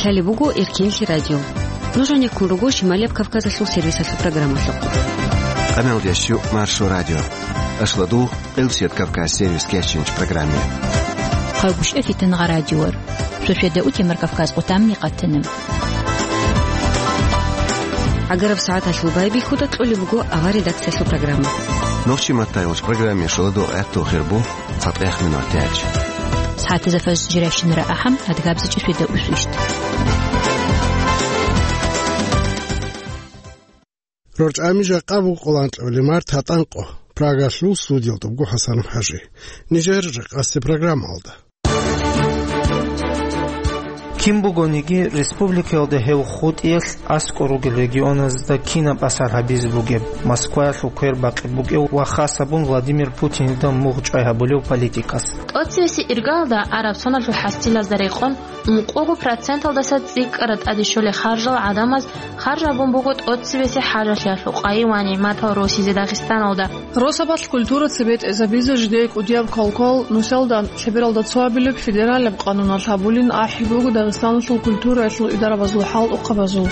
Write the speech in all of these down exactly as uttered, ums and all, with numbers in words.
Лъалеб буго Эркенлъи радио. Нуж гьанеккун руго Шималияб Кавказалъул сервисалъул программалъухъ. Къаналдиясчу Маршо радио. Ашладу Элсият Кавказ сервис кечинч программе. Хъайбушев Фитнагъа радиор. Шошведа утемар Кавказ къутамни къатана. Агараб сагӀаталъул байбихьуда кьолеб буго авар редакциялъул программа. Нохчи маттайулч программе шоладо гӀатту хирбу. Фатех минур тяч. СагӀатазда фажр жиращинара ахӀам, адгабзичӀ шведа усвищт. РорчӀами жакъа буго къоланкьабилеб март гьатӀанкъо. Прагалъул студиялда буго ХӀасанов ХӀажи. Нижер жакъасеб программалда. Кин бугониги, республикаялда гьев хутӀиялъ аскӀор ругел регионазда кинаб асар гьабизе бугеб, Москваялъул квербакъи бугев ва хас гьабун Владимир Путинида мугъ чӀвай гьабулев политикас. ТӀоцевесеб иргаялда араб соналъул хӀасилазда рекъон ункъого проценталдаса цӀикӀкӀараб тӀаде щолел харжал гӀадамаз харж гьабун буго тӀоцевесеб хӀажалъиялъул къайи ва нигӀматал росизе Дагъистаналда. Росабалъ культура цебетӀезабизе жидее кӀудияб квалквал нусалда лъебералда цо абилеб федералияб къануналъ гьабулин ахӀи буго Дагъистаналъул культураялъул идарабазул хӀалтӀухъабазул.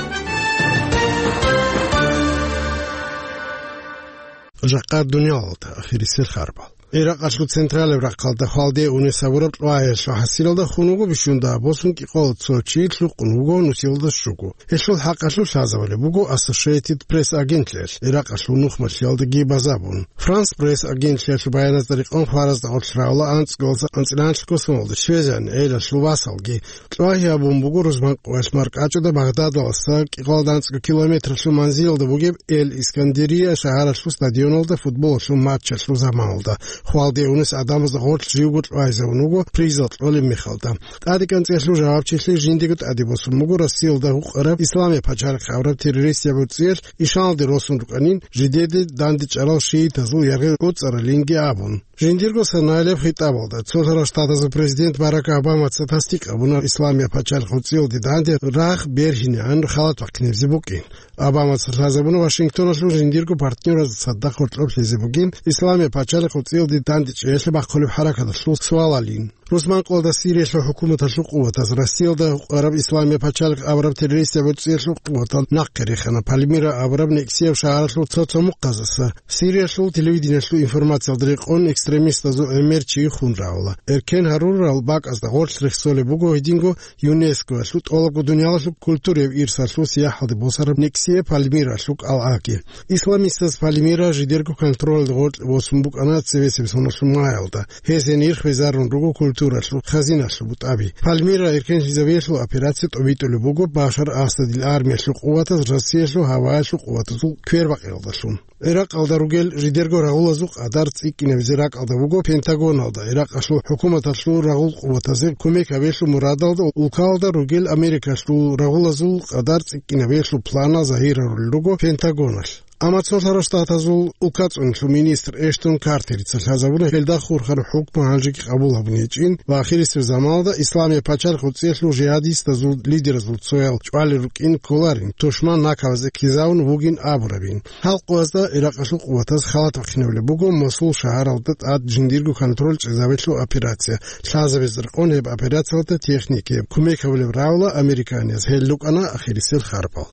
Жакъа дуниялалда ахирисел харбал. Иракъалъул централияб рахъалда хвалде унес гьабураб кьвагьиялъул хӀасилалда хун вуго бищунда босун кӀикъоялда цо чи, лъукъун вуго нусилалда щуго. Гьелъул хӀакъалъулъ лъазабулеб буго Associated Press агентлъиялъ, Иракъалъул нухмалъиялдаги базабун. France Press агентлъиялъул баяназда рекъон хваразда гъорлъ равла анцӀгоялдаса анцӀила анлъго соналда щвезегӀан гӀелалъул васалги. Кьвагьи гьабун буго рузман къоялъ маркӀачӀуда Багъдадалдаса кӀикъоялда анцӀго километралъул манзилалда бугеб Эль-Искандерия шагьаралъул стадионалда футболалъул матчалъул заманалда. Хвалде унес гӀадамазда гъорлъ живго кьвагьизабун вуго призал кьолеб мехалда. ТӀаде кӀанцӀиялъул жавабчилъи жиндиего тӀаде босун буго Россиялда гьукъараб Исламияб пачалихъ абураб террористияб гӀурцӀиялъ ишаналде росун рукӀанин, жидеде дандечӀарал шиитазул яргъи гӀуцӀаралинги абун. Жиндирго санаялъ хитӀабалда, Цолъарал Штатазул президент Барак Обамаца тасдикъ гьабуна Исламияб пачалихъ гӀурцӀиялде данде рагъ бергьинегӀан халат бахъинабизе букӀин. Обамаца лъазабуна Вашингтоналъул жиндирго партнёразда цадахъ гьоркьоб лъезе бугин Исламияб пачалихъ гӀурцӀиялде дандечӀеялъе бахъулеб хӀаракаталъул суалалин. Рузман къоялда Сириялъул хӀукуматалъул къуватаз Россиялда гьукъараб Исламияб пачалихъ абураб террористияб гӀурцӀиялъул къуватал нахъе рехана Пальмира абураб нексияб шагьаралъул цо-цо мухъаздаса. Сириялъул телевидениялъул информациялда рекъон экстремистазул гӀемер чи хун равла. Эркен гьарурал бакӀазда гъорлъ рехсолеб буго гьединго ЮНЕСКОялъул тӀолабго дуниялалъул культураяб ирсалъул сияхӀалде босараб нексияб Пальмиралъул кӀалгӀаги. Исламистаз Пальмира жидерго контролалда гъоркье босун букӀана цебесеб соналъул маялда. Гьез гьенир хвезарун руго культуралъул хазиналъул бутӀаби. Пальмира эркенлъизабиялъул операция тӀобитӀулеб буго Башар Асадил армиялъул къуватаз Россиялъул гьаваялъул къуватазул квербакъиялдалъун. Иракъалда ругел жидерго рагъулазул къадар цӀикӀкӀинабизе ракӀалда буго Пентагоналда, Иракъалъул хӀукуматалъул рагъул къуватазе кумек гьабиялъул мурадалда улкалда ругел Америкалъул рагъулазул къадар цӀикӀкӀинабиялъул планал загьирарулел руго Пентагоналъ. Амма Цолъарал Штатазул улкацӀуналъул министр Эштон Картерица лъазабуна гьелда хурхараб хӀукму гьанжеги къабул гьабун гьечӀин ва ахирисеб заманалда Исламияб пачалихъ гӀурцӀиялъул жигьадистазул лидеразул цоял чӀвалел рукӀин кколарин, тушман накабазе ккезавун вугин абурабин. Гьал къоязда Иракъалъул къуватаз халат бахъинабулеб буго Мосул шагьаралда тӀад жиндирго контроль чӀезабиялъул операция. Лъазабизе рекъон гьеб операциялда техникаяб кумек гьабулеб равла американияз. Гьел рукӀана ахирисел харпал.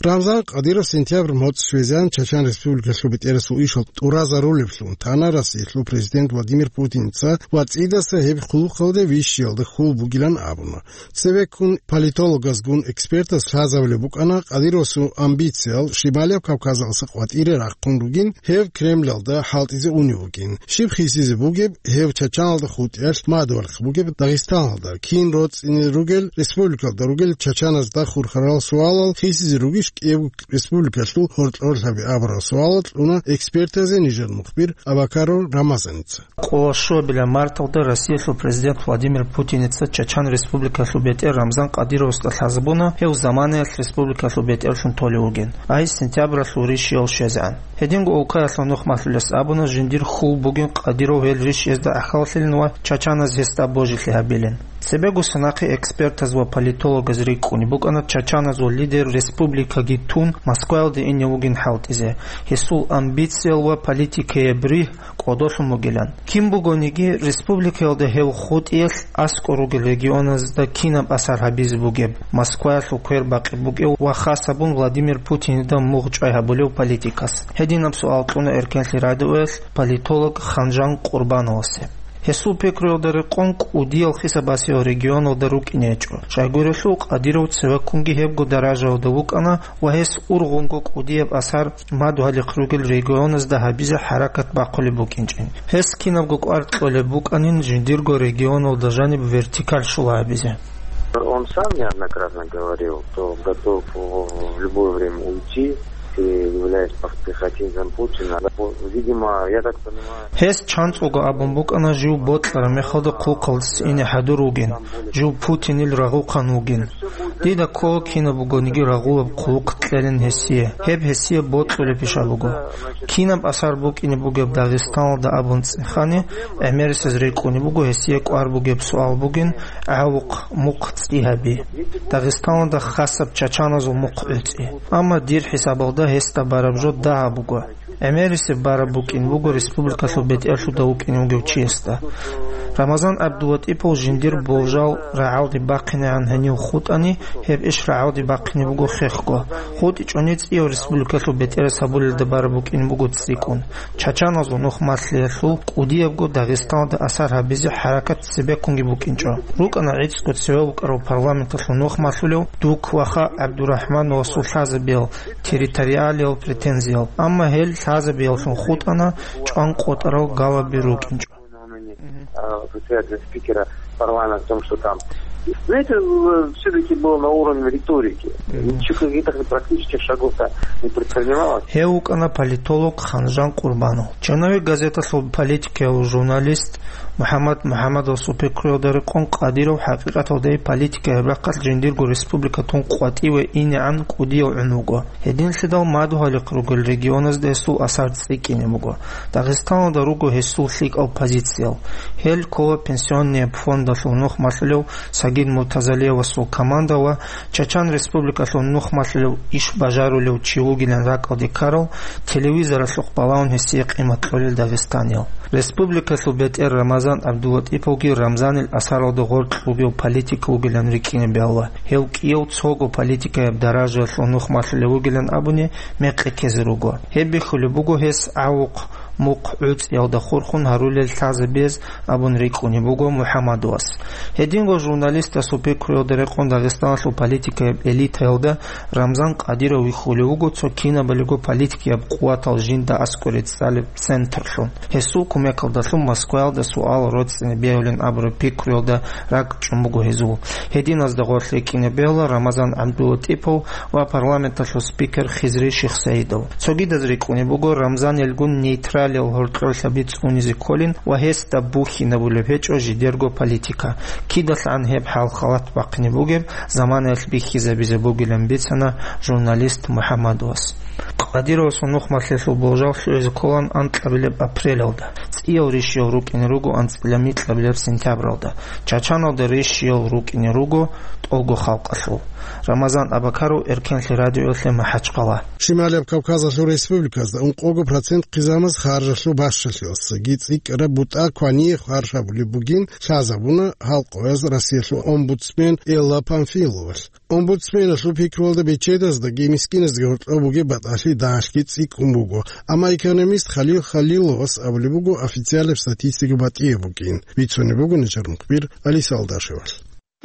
Рамзан Кадиров сентябрь моцӀ щвезегӀан Чачан Республикалъул бетӀерасул ишал тӀуразарулеблъун тана Россиялъул президент Владимир Путинца ва цӀидаса гьеб хъулухъалде вищиялда хьул бугилан абуна. Цевеккун политологазгун экспертаз лъазабулеб букӀана Кадировасул амбициял Шималияб Кавказалъа къватӀире рахъун ругин, гьев Кремлалда хӀалтӀизе унев вугин. Щиб хисизе бугеб гьев Чачаналда хутӀиялъ мадугьалихъ бугеб Дагъистаналда, кин роцӀцӀине ругел республикалда ругел чачаназда хурхарал суалал хисизе ругищ кӀиябго республикалъул гьоркьорлъаби абурал суалал кьуна экспертазе нижер мухбир Абакаров Рамазаница. Къоло щуабилеб марталда Россиялъул президент Владимир Путиница Чачан Республикалъул бетӀер Рамзан Кадировасда лъазабуна, гьев заманаялъ республикалъул бетӀерлъун толев вугин, ай сентябралъул рищиялъ щвезегӀан. Гьединго улкаялъул нухмалъулес абуна, жиндир хьул бугин Кадиров гьел рищиязда гӀахьаллъилин ва чачаназ гьесда божилъи гьабилин. Цебего нахъе экспертаз ва политологаз рикӀкӀунеб букӀана чачаназул лидер республикаги тун Москваялде ине вугин хӀалтӀизе. Гьесул амбициял ва политикаяб ригь кӀодолъун бугилан. Кин бугониги, республикаялда гьев хутӀиялъ аскӀор ругел регионазда кинаб асар гьабизе бугеб, Москваялъул квер бакъи букӀев ва хас гьабун Владимир Путинида мугъ чӀвай гьабулев политикас. Гьединаб суал кьуна Эркенлъи радиоялъ политолог Ханжан Къурбановасе. Гьесул пикруялда рекъон кӀудиял хисабасиял регионалда рукӀине гьечӀо. Щайгурелъул Къадиров цевеккунги гьебго даражаялда вукӀана ва гьес ургъунго кӀудияб асар мадугьалихъ ругел регионазда гьабизе хӀаракат бахъулеб букӀинчӀин. Гьес кинабго кӀвар кьолеб букӀанин жиндирго регионалда жаниб вертикаль щула гьабизе. Он сам неоднократно говорил, что готов в в любое время уйти, являясь пехотинцем Путина. Видимо, я так понимаю. Гьес чанцӀулго абун букӀана жив бокьараб мехалда хъулухъалдаса ине хӀадур вугин, жив Путинил рагъухъан вугин. Дида ккола кинаб бугониги рагъулаб хъулухъ кьелин гьесие. Гьеб гьесие бокьулеб пиша буго. Кинаб асар букӀине бугеб Дагъистаналда абун цӀехани, гӀемерисез рикӀкӀунеб буго гьесие кӀвар бугеб суал бугин, гӀавухъ мухъ цӀи гьаби. Дагъистаналда хасаб чачаназул мухъ гӀуцӀи. Амма дир хӀисабалда гьесда бараб жо дагьаб буго. ГӀемерисеб бараб букӀин буго республикалъул бетӀерлъуда вукӀине вугев чиясда. Рамазан ГӀабдулатӀипов жиндир болжал рагӀалде бахъинегӀан гьенив хутӀани, гьеб иш рагӀалде бахъине буго хехго. ХутӀичӀони цӀияв республикалъул бетӀерас гьабулелда бараб букӀин буго цӀикӀкӀун. Чачаназул нух малъиялъул кӀудиябго Дагъистаналда асар гьабизе хӀаракат цебеккунги букӀинчӀо. РукӀана гӀицӀго цеве вукӀарав парламенталъул нух малъулев Дук ваха ГӀабдурахӀмановасул лъазабиял, территориалиял претензиял, амма гьел лъазабияллъун хутӀана чӀван къотӀарал галаби рукӀинчӀо. А, председателя, спикера парламента в том, что там. Знаете, э, всё-таки было на уровне риторики. Ничего, каких-то практических шагов-то не предпринималось. Гьев вукӀана политолог Ханжан Къурбанов. Черновик газеталъул политикияв журналист МухӀаммад МухӀаммадовасул пикруялда рекъон Къадиров хӀакъикъаталда политикаяб рахъалъ жиндирго республика тун къватӀиве инегӀан кӀудияв гӀун вуго. Гьединлъидал мадугьалихъ ругел регионазда гьесул асар цӀикӀкӀине буго. Дагъистаналда руго гьесул лъикӀал позициял. Гьел ккола пенсионный фондалъул нух малъулев Сагид Муртазалиевасул команда ва Чачан Республикалъул нух малъулев иш бажарулев чи вугилан ракӀалде ккарал, телевизоралъухъ балагьун гьесие къимат кьолел дагъистаниял. Республикалъул бетӀер Рамазан ГӀабдулатӀиповги Рамзанил асаралда гъоркь бугев политик вугилан рикӀкӀине бегьула. Гьев кӀияв цого политикаяб даражаялъул нух малъулев вугилан абуни мекъи ккезе руго. Гьеб бихьулеб буго гьес гӀавухъ мухъ гӀуцӀиялда хурхун гьарулел лъазабиз абун рикӀкӀунеб буго МухӀаммадовас. Гьединго журналистасул пикруялда рекъон Дагъистаналъул политикаяб элитаялда Рамзан Къадиров вихьулев вуго цо кинабалиго политикияб къуватал жинда аскӀоре цӀалеб центрлъун. Гьесул кумекалдалъун Москваялда суал роцӀцӀине бегьулин абураб пикруялда ракӀчӀун буго гьезул. Гьединазда гъорлъ рикӀкӀине бегьула Рамазан ГӀабдулатӀипов ва парламенталъул спикер Хизри Шихсаидов. Цогидаз рикӀкӀунеб буго Рамзанилгун нейтралиял гьоркьорлъаби цӀунизе кколин ва гьесда бухьинабулеб гьечӀо жидерго политика. КидалъгӀан гьеб хӀал-халат бахъине бугеб заманаялъ бихьизабизе бугилан бицана журналист МухӀаммадовас. Къадировасул нухмалъиялъул болжал лъугӀизе кколан анкьабилеб апрелалда. ЦӀиял ришиял рукӀине руго анцӀила микьабилеб сентябралда. Чачаналда ришиял рукӀине руго тӀолго халкъалъул. Рамазан Абакаров, Эркенлъи радиоялъе МахӀачхъала. Шималияб Кавказалъул республиказда ункъого процент хъизамаз харжалъул бащалъиялсаги цӀикӀкӀараб бутӀа квание харж гьабулеб бугин лъазабуна гьалкъояз Россиялъул омбудсмен Элла Памфиловалъ. Омбудсменалъул пикруялда бечедаздаги мискиназдаги гьоркьоб бугеб батӀалъи дагьалъги цӀикӀкӀун буго, амма экономист Халил Халиловас абулеб буго официалаб статистика батӀияб бугин. Бицунеб буго начар мухбир Алиса Алдашевалъ.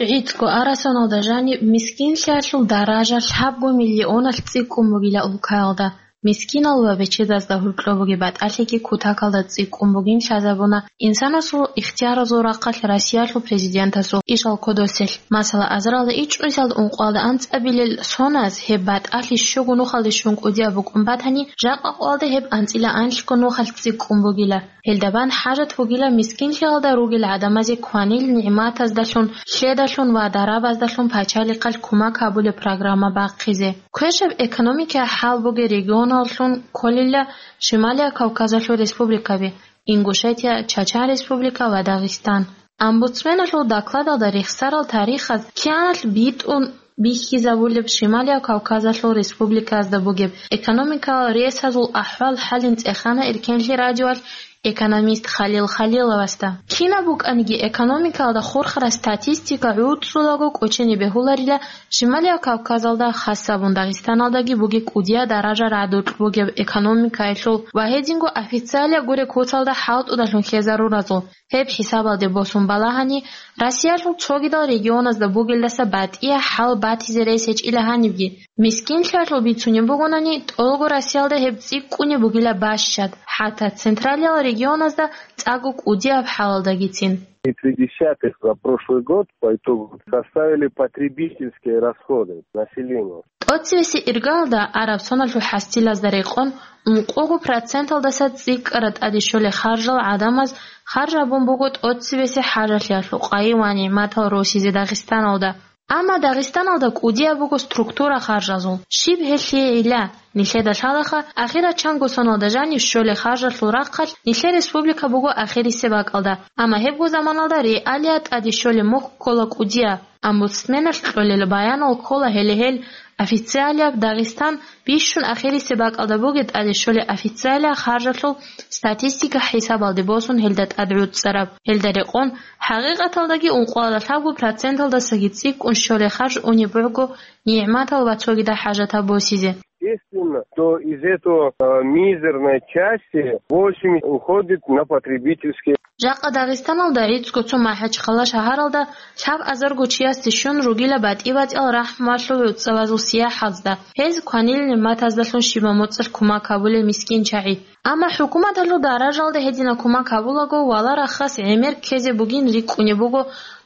ГӀицӀго арасаналда жаниб мискинлъиялъул даража лъабго миллионалъ цӀикӀкӀун бугила улкаялда. Мискинал ва бечедазда гьоркьоб бугеб батӀалъиги кутакалда цӀикӀкӀун бугин лъазабуна инсанасул ихтияразул рахъалъ Россиялъул президентасул ишал кодоселъ. Масала, азаралда ичӀнусиялда ункъоялда анцӀабилел соназ гьеб батӀалъи щуго нухалде щун кӀудияб букӀун батани, жакъа къоялда гьеб анцӀила анлъго нухалъ цӀикӀкӀун бугила. Гьелда бан хӀажат бугила мискинлъиялда ругел гӀадамазе кванил нигӀматаздалъун, лъедалъун ва дарабаздалъун пачалихъалъ кумак гьабулеб программа бахъизе. Квешаб экономикаялъ хӀал бугел регионаллъун кколила Шималия Кавказалъул республикаби, Ингушетия, Чачан Республика ва Дагъистан. Омбудсменалъул докладалда рехсарал тарихаз кианалъ битӀун бихьизабулеб Шималияб Кавказалъул республикаязда бугеб экономикалал ресазул ахӀвал-хӀалин цӀехана Эркенлъи радиоялъ экономист Халил Халиловасда. Кинаб букӀаниги экономикалда хурхараб статистика гӀуцӀулаго кӀочене бегьуларила Шималияб Кавказалда, хасабун Дагъистаналдаги бугеб кӀудияб даража радукь бугеб экономикаялъул ва гьединго официалияб гуреб куцалда хӀалтӀудалъун хьезаруразул. Гьеб хӀисабалде босун балагьани, Россиялъул цогидал регионазда бугелдаса батӀияб хӀал батизе рес гьечӀила гьанибги. Мискинлъиялъул бицунеб бугонани, тӀолго Россиялда гьеб цӀикӀкӀунеб бугила бащад, хӀатта централиял регионазда цӀакъго кӀудияб хӀалалдагицин. Три десятых за прошлый год по итогу составили потребительские расходы населения. ТӀоцебесеб иргаялда, араб соналъул хӀасилазда рекъон, ункъого проценталдаса цӀикӀкӀараб тӀаде щолеб харжал гӀадамаз харж гьабун буго тӀоцебесеб хӀажалъиялъул къайи ва нигӀматал росизе Дагъистаналда. Амма Дагъистаналда кӀудияб буго структура харжазул. Щиб гьелъие гӀилла? Нилъеда лъалаха, ахирачанго соналда жанив щолеб харжалъул рахъалъ нилъер республика буго ахирисеб бакӀалда. Амма гьебго заманалда реалияб тӀаде щолеб мухь ккола кӀудияб. Омбудсменалъ кьолел баянал ккола гьеле гьел официалияб Дагъистан бищун ахирисеб бакӀалда бугеб тӀаде щолеб официалияб харжалъул статистика хӀисабалде босун гьелда тӀадгӀуцӀцӀараб. Гьелда рекъон, хӀакъикъаталдаги ункъоялда лъабго проценталдасаги цӀикӀкӀун щолеб харж унеб буго нигӀматал ва цогидал хӀажатал босизе. Естественно, что из этого, э, мизерной части восемьдесят уходит на потребительские. Жакъа Дагъистаналда гӀицӀго цо МахӀачхъала шагьаралда лъабазарго чиясде щун ругила батӀи-батӀиял рахӀмуялъул гӀуцӀавазул сияхӀазда, гьез кванил нигӀматаздалъун щибаб моцӀалъ кумак гьабулел мискин чагӀи. Амма хӀукуматалъул даражалда гьединаб кумак гьабулаго, вала рахас гӀемер ккезе бугин рикӀкӀунеб буго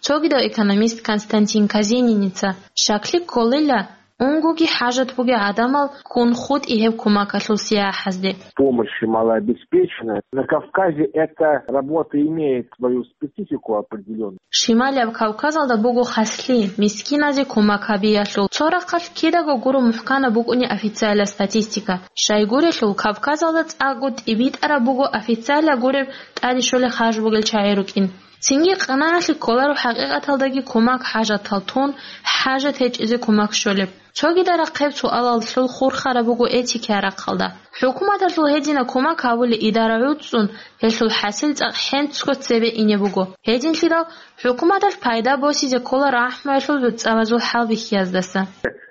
цогидав экономист Константин Казениница. Щаклъи кколила, унгоги хӀажат бугел гӀадамал ккун хутӀи гьеб кумакалъул сияхӀазде. Помощи малообеспеченным. На Кавказе эта работа имеет свою специфику определённую. Шималияб Кавказалда буго хаслъи, мискиназе кумак гьабиялъул. Цо рахъалъ кидаго гуро мухӀканаб букӀуни официалияб статистика. Щайгурелъул, Кавказалда цӀакъго тӀибитӀараб буго официалияб гуреб тӀаде щолеб харж бугел чагӀи рукӀин. Цинги къинагӀалъе кколаро хӀакъикъаталдаги кумак хӀажатал тун, хӀажат гьечӀезе кумак щолеб. Цогидал рахъ гьеб суалалъул хурхараб буго этикиял рахъалда. ХӀукуматалъул гьединаб кумак гьабулеб идара гӀуцӀцӀун, гьелъул хӀасил цӀакъ хӀинцго цебе ине буго. Гьединлъидал хӀукуматалъ пайда босизе ккола рахӀмуялъул гӀуцӀавазул хӀалбихьияздаса.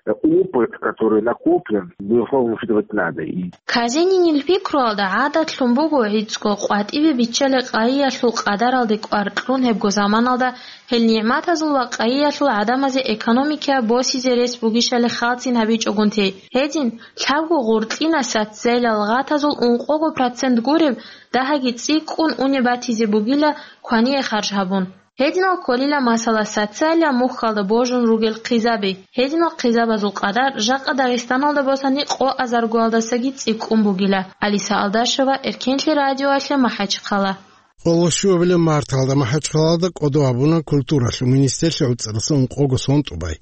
Опыт, который накоплен, безусловно, учитывать надо. И Казенинил пикруялда гӀадатлъун буго гӀицӀго къватӀибе биччалел къайиялъул къадаралде кӀвар кьун гьебго заманалда гьел нигӀматазул ва къайиялъул гӀадамазе экономикаялъ босизе рес бугищали хӀалтӀин гьабичӀогун тей. Гьедин, лъабго гъуркьинал социалияб гъатазул ункъого процент гуреб дагьаги цӀикӀкӀун унеб батизе бугила квание харж гьабун. Гьединал кколила, масала, социалияб мухьалда божун ругел хъизаби. Гьединал хъизабазул къадар жакъа Дагъистаналда босани къо азаргоялдасаги цӀикӀкӀун бугила. Алиса Алдашева, Эркенлъи радиоялъе, МахӀачхъала. Къоло щуабилеб марталда МахӀачхъалада кӀодо гьабуна культуралъул министрлъи гӀуцӀараса ункъого сон тӀубай.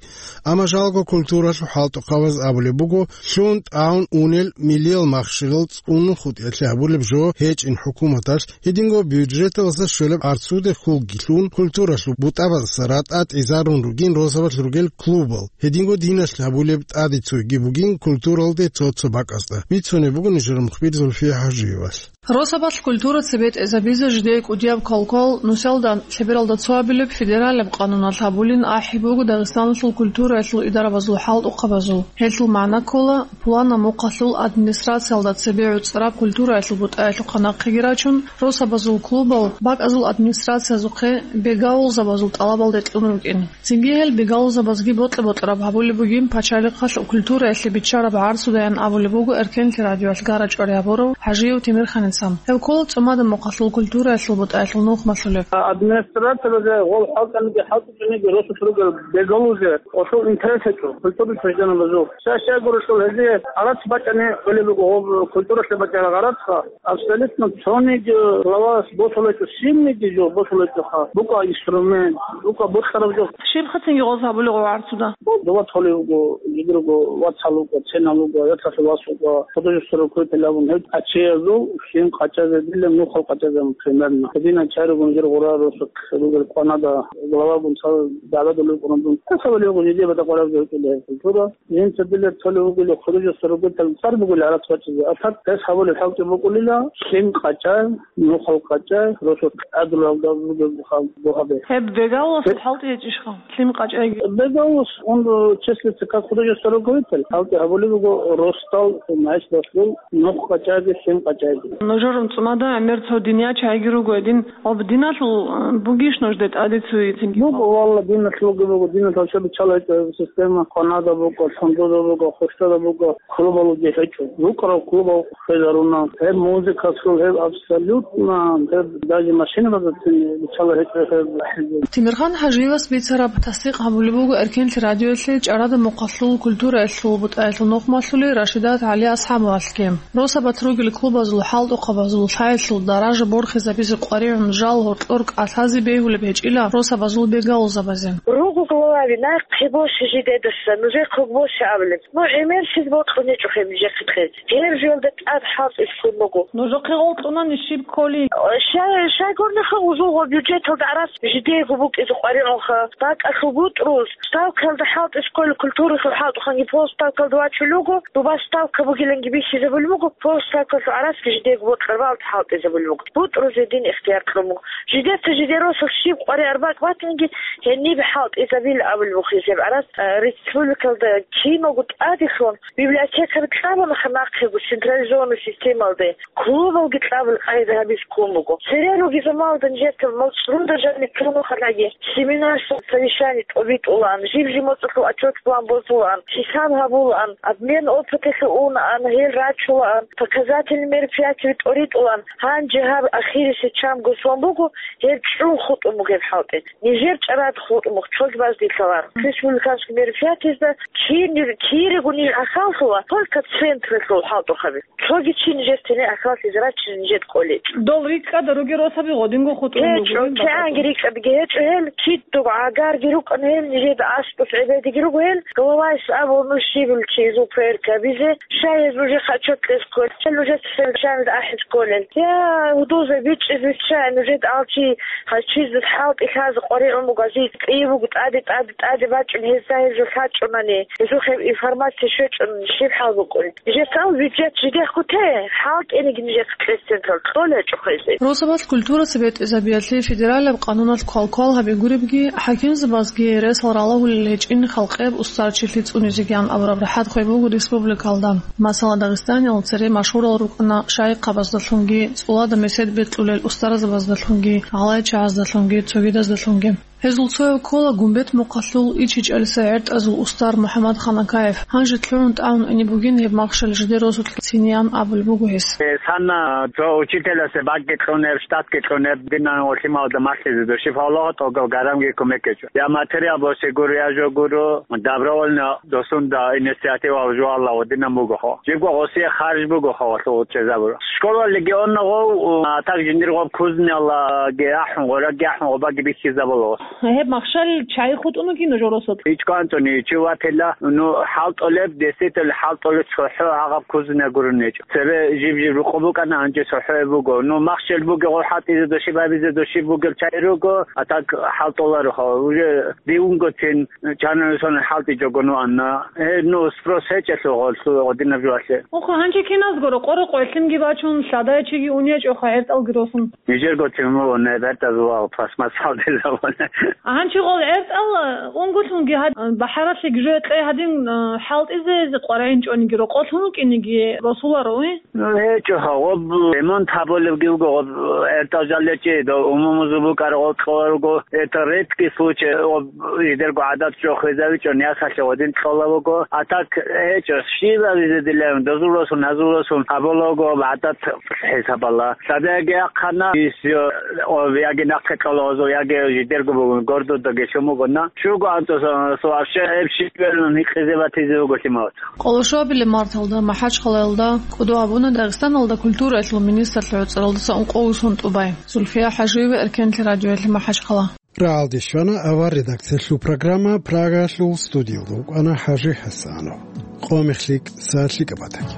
Амма жалго культуралъул хӀалтӀухъабаз абулеб буго, лъун тӀагӀун унел милиял махщелал цӀунун хутӀиялъе гьабулеб жо гьечӀин хӀукуматалъ, гьединго бюджеталдаса щолеб гӀарцуде хьулги лъун, культуралъул бутӀабаздаса ратӀа тӀизарун ругин росабалъ ругел клубал, гьединго диналъ гьабулеб тӀаде цойги бугин культуралде цо-цо бакӀазда. Бицунеб буго нижер мухбир Зульфия ХӀажиевалъ. Росабалъ культура цебетӀезабизе жидее кӀудияб квалквал нусалда лъебералда цо абилеб федералияб къануналъ гьабулин ахӀи буго Дагъистаналъул культураялъул идарабазул хӀалтӀухъабазул. Гьелъул магӀна ккола, пуланаб мухъалъул администрациялда цебе гӀуцӀараб культураялъул бутӀаялъухъа нахъеги рачун, росабазул клубал бакӀазул администрациязухъе бегалъулзабазул тӀалабалде кьун рукӀин. Цинги гьел бегалъулзабазги бокьа-бокьараб гьабулеб бугин пачалихъалъ культураялъе биччараб гӀарцудаян абулеб буго Эркенлъи радиоялъ гара-чӀвари гьабурав ХӀажиев Темирханица. Гьев ккола цӀумадаб мухъалъул культураялъул бутӀаялъул нухмалъулев. Администрациялазе гъол хӀалтӀаниги хӀалтӀичӀониги росулъ ругел бегалъулзе, гъолъул интерес гьечӀо культурный учреждениябазул. Щай-щай гурелъул гьезие гӀарац бачӀани гӀолеб буго гъоб культуралъе бачӀараб гӀарацха. Абсолютно цониги главас босулечӀо, синниги жо босулечӀоха. БукӀа инструмент, букӀа бокьараб жо. Щиб хъацинги гъоз гьабулеб гъо гӀарцуда? Дават холев вуго, жидерго вацал вуго, ценал вуго, яцалъул вас вуго, художественный руководитель абун гьеб ачеязул щин къачазе дилан нухал къачазе, пример. Гьединан чаригун жир гъура росулъ ругел къванада главагун цал дагӀбадулев кӀуна дун. Гьесабали гъуж жидебада къвараб жо кӀеле культура. Жинца дилер цолев вугелев художество ругетал цар бугел гьарат бачӀизе. Атат гьес гьабулеб хӀалтӀи букӀулила, лъим къачӀай, нухал къачӀай, росулъ гӀадулалда бугеб бугьабе. Гьеб бегалас хӀалтӀи гьечӀищха? Лъим къачӀайги. Бегалас, он числится как художество руководитель. ХӀалтӀи гьабулеб буго росдал, значит, росдал нух къачӀайги, лъим къачӀайги. Нужер цӀумада гӀемер цо диниял чагӀиги руго гьедин. Об диналъул, э, бугищ нужде тӀаде цуе цинги? Буго, валла, диналъулги буго, диналъул чӀа биччала гьечӀо система, къванада буго, лъундуда буго, хущада буго, клубалги гьечӀо. РукӀарал клубал хвезаруна. Гьеб музыкалъул, гьеб абсолютно, гьеб даже машинабазацин биччала гьечӀо гьеб. Тимирхан ХӀажиевас бицараб, тасдикъ гьабулеб буго Эркенлъи радиоялъе ЧӀарада мухъалъул культураялъул бутӀаялъул нухмалъули Рашидат ГӀали Асхабовалъги. Росабалъ ругел клубазул, хӀалтӀухъабазул лъаялъул даража борхизабизе къваригӀун жал гьоркьор кӀалъазе бегьулеб гьечӀила росабазул бегалузабазе. Руго главаби, нахъе босе жидедаса, нужехъе босе абулеб. Ну, гӀемер щиб бокьун гьечӀо гьеб нижехъе кьезе. Гьеб жоялда тӀад хӀалтӀи лъун буго. Нужехъе гъоркьунани щиб кколи? Щай, щайгурнахъа узулго бюджеталда гӀарац жидего букӀизе къваригӀунха, бакӀалъул бутӀрулъ. Ставкаялда хӀалтӀи кколи культуралъул хӀалтӀухъанги полставкаялда вачулел руго, дуба ставка бугиланги бихьизабулеб буго, полставкалъул гӀарацги жидего бокьараб гьалда хӀалтӀизабулеб буго. БутӀрузе дин ихтияр кьун буго. Жидеца жидер росулъ щиб къваригӀараб бакӀ батанги, гьениб хӀалтӀизабила абулеб буго гьезие гӀарац, э, республикалда киналго тӀадеги лъун, библиотекаби кьабунаха нахъего централизованный системалде. Клубалги кьабул къайда гьабизе ккун буго. Цере ругезул малда нижеца моцӀруда жаниб тунухъалаги семинар, совещание тӀобитӀулаан, жиб-жиб моцӀалъул отчет-план босулаан, хӀисаб гьабулаан, обмен опыталъе унаан, гьел рачулаан, показательный мероприятие тӀоритӀулаан, гьанже гьаб ахирисеб чамго сон буго, гьеб чӀун хутӀун буго гьеб хӀалтӀи. Нижер чӀарада хутӀун буго, цоги баздилъалаан. Республиканский мероприятиезда кин-, кирего ниж гӀахьаллъула, только централъул хӀалтӀухъаби. Цоги чи нижер тене ахиралъизе рачине нижер кӀолей. Дол рикӀкӀада ругел росаби гъодинго хутӀун гьечӀо, бугеб кигӀанги бакӀалда. РикӀкӀадги гьечӀо гьел, кидго гӀагарги рукӀана гьел, нижеда аскӀос гӀебедиги руго гьел, главайс абуна щибил чи изул проект гьабизе, щай гьез нужехъе отчет кьезе кколел, нужеца совещаниеда ахӀизе кколел. Я, гьудулзаби бичӀчӀизе виччай, нужеда алчи гьачизе хӀалтӀи лъазе къваригӀун буго, ази кӀиябго тӀаде, тӀаде, тӀаде бачӀун гьезда гьеб жо лъачӀунани, гьезухъе информация щвечӀун щиб хӀал букӀун. Жесал бюджет жидехъ гьуте, хӀалтӀениги нижехъе кьезе централ кьолечӀо хвезе. Росабалъ культураца бетӀизабиялъе федералияб къануналъ квалквал гьаби гуребги, хӀакимзабазги ресал ралагьулел гьечӀин халкъияб устарчилъи цӀунизегиян абураб рахӀат хвей буго республикалда. Масала, Дагъистаниялда цере машгьурал рукӀана шайихъабаздалъунги, цӀулада месед бекьулел устарзабаздалъунги, гӀалайчагӀаздалъунги, цогидаздалъунги. Гьезул цояв ккола Гумбет мухъалъул ИчичӀалиса гӀертӀазул устар МухӀаммад Ханакаев. Гьанже лъугӀун тӀамун ине бугин гьеб махщел жидер росулъ циниян абулеб буго гьес. Э, санна, цо учителасе бакӀги кьунеб, штатги кьунеб, динан гъолъималда малъизе души фалогъа тӀогал гарамги кумекечӀо. Я материал босе гуро, я жо гуро, добровольно досунда инициатива жугьалла гъодинан бугохо. Жибго гъосие харж бугохо, гъолъул чӀезабуро. Школа легионна гъов, а так жиндир гъоб кузнияллаги ахӀун, гъораги ахӀун, гъобаги бихьизабула. Гьеб махщел чай хутӀун вукӀина жо росулъ. ИчӀго анцӀуни чи ватила, ну, хӀалтӀулеб, действительно, хӀалтӀулеб цохӀо гьагъаб кузне гурони гьечӀо. Цебе жиб-жиб рукъу букӀана, гьанже цохӀо буго. Ну, махщел бугеб, гъо хӀалтӀизе души, бабизе души бугеб чай руго, а так хӀалтӀуларо, уже дивунгоцин чанани сони хӀалтӀичӀого нуанна. Э, ну, спрос гьечӀелъул гъолъул гъодинаб жуалъе. Ухъа, гьанже киназгуро къорокъо гӀелъинги бачун, лъадай чиги унечӀоха гӀертӀалги росун. Нижерго темуго не бертазулал пластмассалдилавуна. Гьанчи гъол гӀертӀал унгулъунги гьад-, бахӀаралъе гижо кьей гьадин, а, хӀалтӀизе къварагӀинчӀониги рокъолъун вукӀиниги росуларо, уй? Ну, гьечӀо, гъоб ремонт гьабулебги вуго, гъоб гӀертӀал жалечӀи, до умумузул букӀар гъол кьола руго, это редкий случай, гъоб жидерго гӀадат жо хвезавичӀо, нясалъе гъодин кьола вуго. А так гьечӀо, щибабизе дилаун, дозул росун, гьазул росун гьабулаго гӀадат хӀисабала. Лъадаги ахъана, исо, о, яги нахъе кьола озо, яги жидерго бугун, гордодаги лъумугуна. Чуго анцӀосан, со вообще гьеб щиб берун гьикъизе батизе вуго лъималаца. Къолошуабилеб марталда МахӀачхъалаялда кӀодо гьабуна Дагъистаналда культураялъул министрлъи гӀуцӀаралдаса ункъо ус тӀубай. Зульфия ХӀажиева, Эркенлъи радиоялъе, МахӀачхъала. Рагьалде щвана авар редакциялъул программа, Прагалъул студиялда вукӀана ХӀажи ХӀасанов. Къо мехлъи, са лъикӀаб батаги.